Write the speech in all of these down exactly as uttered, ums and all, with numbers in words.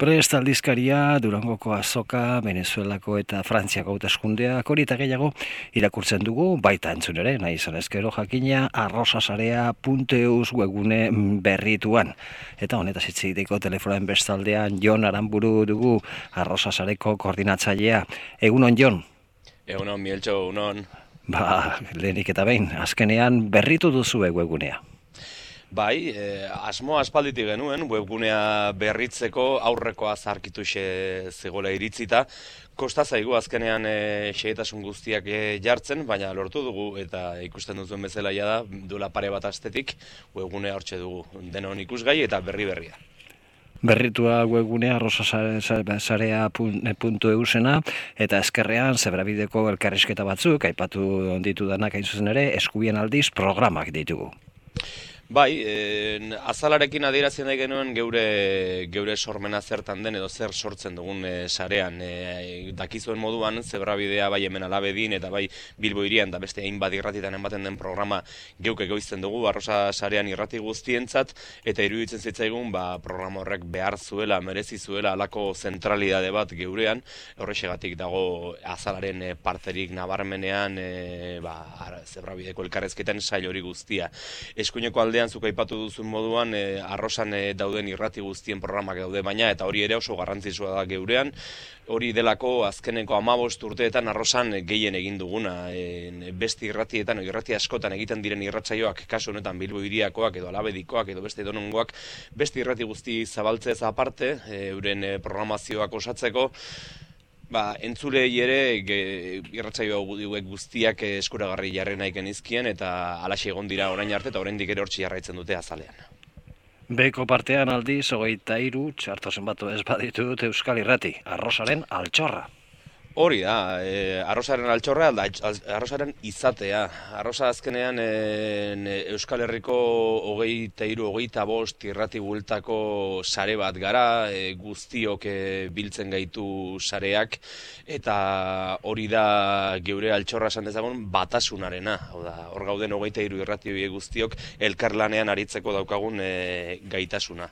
Prest aldizkaria, Durangoko azoka, Venezuelako eta Frantziako hauteskundeak hori eta gehiago irakurtzen dugu, baita entzun ere, nahi izan ezkero jakina, arrosasarea puntu eus webgune berrituan. Eta honetaz hitz egiteko telefonoen bestaldean Jon Aranburu dugu, arrosasareko koordinatzailea. Egunon, Jon? Egunon, Mieltxo, egunon. Ba, lehenik eta behin, azkenean berritu duzu webgunea. Bai, eh, asmo aspalditik genuen, webgunea berritzeko aurrekoa zarkituxe zegoela iritzita. Kosta zaigu azkenean e, xehetasun guztiak e, jartzen, baina lortu dugu eta ikusten duzuen bezala da, duela pare bat astetik webgunea hortxe dugu. Denon ikusgai eta berri berria. Berritua webgunea arrosasarea puntu eusena eta eskerrean zebrabideko elkarrizketa batzuk, aipatu ditu danak hain zuzen ere, eskubien aldiz programak ditugu. Bai, eh, azalarekin adierazien nahi genuen geure, geure sormena zertan den edo zer sortzen dugun e, sarean. E, dakizuen moduan, zebrabidea bai hemen Alabedin eta bai Bilbo hirian da beste hainbat irratitan ematen den programa geuk egoizten dugu, arrosa sarean irrati guztientzat, eta iruditzen zitzaigun ba, programa horrek behar zuela, merezi zuela alako zentralidade bat geurean, horrexegatik dago azalaren e, parterik nabarmenean e, ba, zebrabideko elkarrezketan sail hori guztia. Eskuineko aldean zuk aipatu duzun moduan, e, arrosan e, dauden irrati guztien programak daude baina, eta hori ere oso garrantzitsua da geurean. Hori delako azkeneko hamabost urteetan arrosan gehien egin duguna. E, beste irratietan, irrati askotan egiten diren irratsaioak, kasu honetan Bilbo hiriakoak edo Alabedikoak edo beste edonongoak, beste irrati guzti zabaltzez aparte, e, euren e, programazioak osatzeko, Ba, entzulei ere irratsaio hauek guztiak eskuragarri jarri nahi genizkien eta halaxe egon dira orain arte eta oraindik ere hortzi jarraitzen dute azalean. Beko partean aldiz, hogeita hiru txarto zenbatu ez baditut Euskal Irrati, arrosaren altxorra. Hori da, e, arrosaren altxorra, da, arrosaren izatea. Arrosa azkenean e, Euskal Herriko hogeita hiru, hogeita bost irrati bueltako sare bat gara, e, guztiok e, biltzen gaitu sareak, eta hori da geure altxorra esan dezagun batasunarena. Hau da, hor gauden hogeita hiru irrati guztiok elkarlanean aritzeko daukagun e, gaitasuna.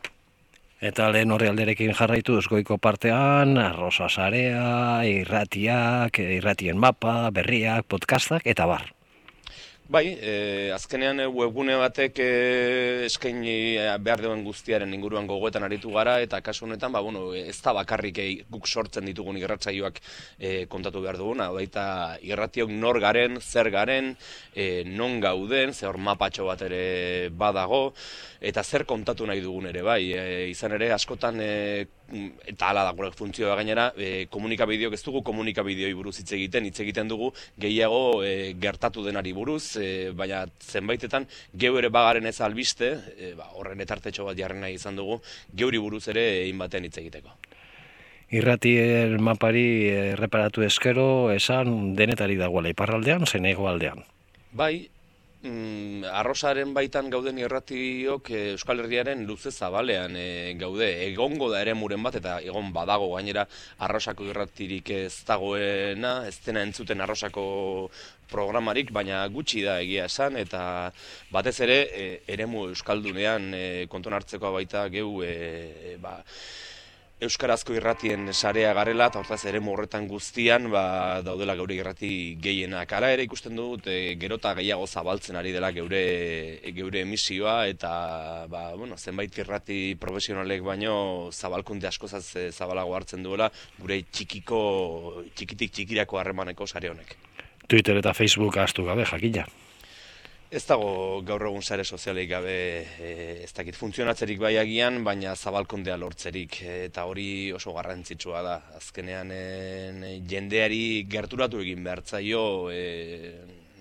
Eta lehen horri alderekin jarraitu Goiko partean, arrosa sarea, irratiak, irratien mapa, berriak, podcastak, eta bar. Bai, e, azkenean webgune batek e, eskaini behar duen guztiaren inguruan gogoetan aritu gara, eta kasu honetan, ba, bueno, ez da bakarrik e, guk sortzen ditugun irratsaioak e, kontatu behar duguna, baita irratiok nor garen, zer garen, e, non gauden, ze hor mapatxo bat ere badago, eta zer kontatu nahi dugun ere, bai, e, izan ere askotan, e, eta hala da gure funtzioa gainera, e, komunikabideok ez dugu komunikabideoi buruz hitz egiten, hitz egiten dugu gehiago e, gertatu denari buruz, e, baina zenbaitetan geu ere bagaren ez albiste, e, ba, horren etartetxo bat jarri nahi izan dugu, geuri buruz ere egin baten hitz egiteko. Irratien mapari erreparatu eskero, esan denetari dagoela iparraldean, zein hegoaldean. Bai, Mm, arrosaren baitan gauden irratiok e, Euskal Herriaren luze zabalean e, gaude. Egongo da ere muren bat eta egon badago gainera arrosako irratirik ez dagoena, ez dena entzuten arrosako programarik, baina gutxi da egia esan, eta batez ere e, eremu Euskaldunean e, konton hartzekoa baita geu e, ba, euskarazko irratien sarea garela, eta hortaz ere horretan guztian ba, daudela geure irrati gehienak. Hala ere ikusten dut e, gerota gehiago zabaltzen ari dela geure, geure emisioa, eta ba, bueno, zenbait irrati profesionalek baino zabalkunde askozaz zabalago hartzen duela gure txikiko, txikitik txikirako harremaneko sare honek. Twitter eta Facebook ahaztu gabe, jakina. Ez dago gaur egun sare sozialik gabe, e, ez dakit funtzionatzerik bai agian, baina zabalkundea lortzerik, eta hori oso garrantzitsua da. Azkenean e, jendeari gerturatu egin behar zaio e,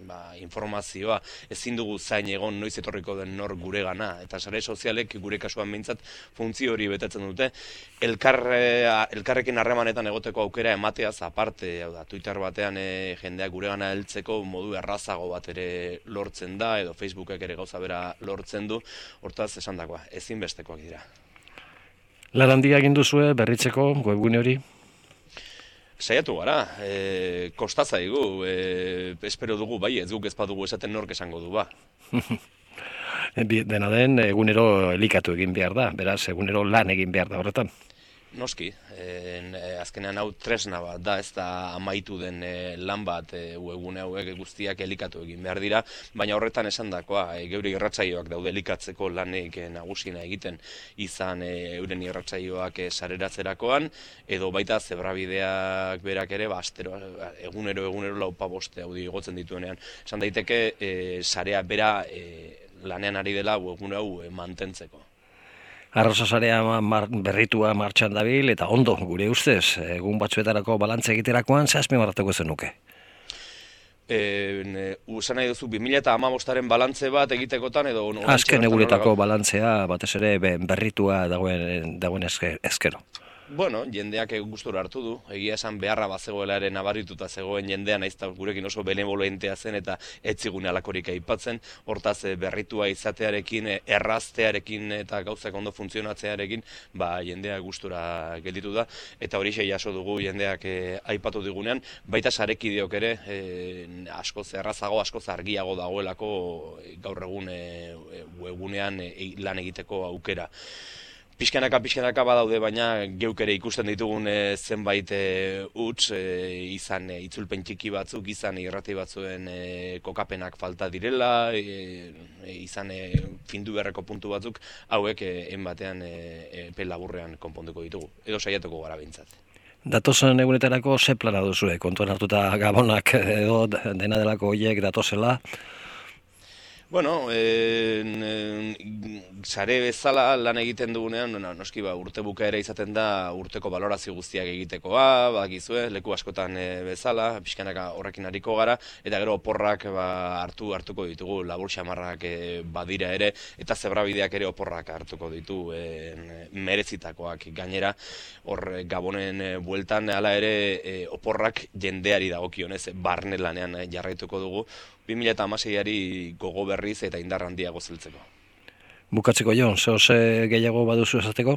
ba, informazioa, ezin dugu zain egon noiz etorriko den nor gure gana, eta sare sozialek gure kasuan behintzat funtzio hori betetzen dute. Elkar, elkarrekin harremanetan egoteko aukera emateaz aparte, hau da, Twitter batean e, jendeak gure gana heltzeko modu errazago bat ere lortzen da, edo Facebookek ere gauza bera lortzen du, hortaz esandakoa, ezinbestekoak dira. Lan handia egin duzue berritzeko webgune hori? Saiatu gara, e, kosta zaigu, e, espero dugu, bai, ez guk ez badugu esaten nork esango du, ba. Dena den, egunero elikatu egin behar da, beraz, egunero lan egin behar da horretan. Noski, e, azkenean hau tresna bat da, ez da amaitu den e, lan bat e, webgune hauek guztiak elikatu egin behar dira, baina horretan esandakoa, e, geure irratsaioak daude elikatzeko lanik e, nagusina egiten izan e, euren irratsaioak e, sareratzerakoan, edo baita zebrabideak berak ere, ba, astero, egunero egunero laupa boste audio igotzen dituenean. Esan daiteke, e, sarea bera e, lanean ari dela webgune hau e, mantentzeko. Arrozasarea mar, berritua martxan dabil, eta ondo, gure ustez, egun batzuetarako balantze egiterakoan, ze azpimarratuko zenuke? E, usan nahi duzu, bi mila hamabostaren balantze bat egitekotan, edo... Azken eguretako balantzea, batez ere berritua dagoen, dagoen ezkero. Bueno, jendeak gustura hartu du, egia esan beharra bazegoela ere nabarituta zegoen jendean, nahiz eta gurekin oso benevolentea zen eta etzigune alakorik aipatzen, hortaz berritua izatearekin, erraztearekin eta gauzak ondo funtzionatzearekin, ba jendea gustura gelditu da, eta horixe jaso dugu jendeak e, aipatu digunean, baita sarekideok ere, e, askoz errazago, askoz argiago dagoelako gaur egun e, webgunean e, lan egiteko aukera. Pixkanaka, pixkanaka badaude, baina geuk ere ikusten ditugun e, zenbait e, huts, e, izan e, itzulpen txiki batzuk, izan irrati batzuen e, kokapenak falta direla, e, e, izan e, findu beharreko puntu batzuk, hauek e, enbatean e, epe laburrean konponduko ditugu, edo saiatuko gara behintzat. Datozen egunetarako ze plana duzue, kontuan hartuta gabonak edo dena delako horiek datozela? Bueno, e, e, sare bezala lan egiten dugunean, no, noski ba, urte bukaera izaten da urteko balorazio guztiak egitekoa, bakizue, leku askotan e, bezala, pixkanaka horrekin hariko gara, eta gero oporrak ba, hartu hartuko ditugu, labur xamarrak e, badira ere, eta zebrabideak ere oporrak hartuko ditu e, merezitakoak gainera, hor Gabonen e, bueltan, hala ere e, oporrak jendeari dagokionez, barne lanean e, jarraituko dugu, bi mila hamaseiari gogo berriz eta indar handiago zeltzeko. Bukatzeko Jon, zehoz gehiago baduzu esateko?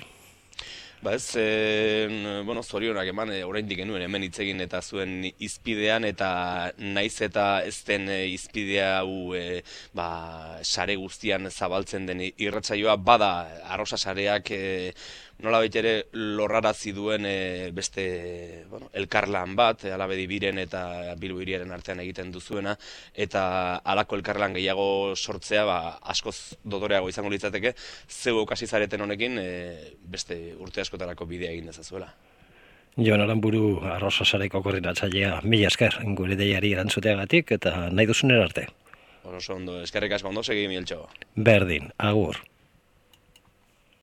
Ba ez, e, bueno, zorionak eman, e, oraindik genuen hemen hitz egin eta zuen izpidean, eta naiz eta ez den e, izpidea hau e, ba, sare guztian zabaltzen den irratsaioa, bada arrosa sareak e, nola ere lorrarazi duen e, beste bueno, elkarlan bat, Alabedi biren eta Bilbo hiriaren artean egiten duzuena, eta halako elkarlan gehiago sortzea ba, askoz dotoreago izango litzateke, zeu hasi zareten honekin e, beste urte askotarako bidea egin dezazuela. Jon Aranburu, Arrozasareko koordinatzailea, mila esker gure deiari erantzuteagatik eta nahi duzunera arte. Oso ondo, eskerrik asko ondo, segi Mieltxo. Berdin, agur.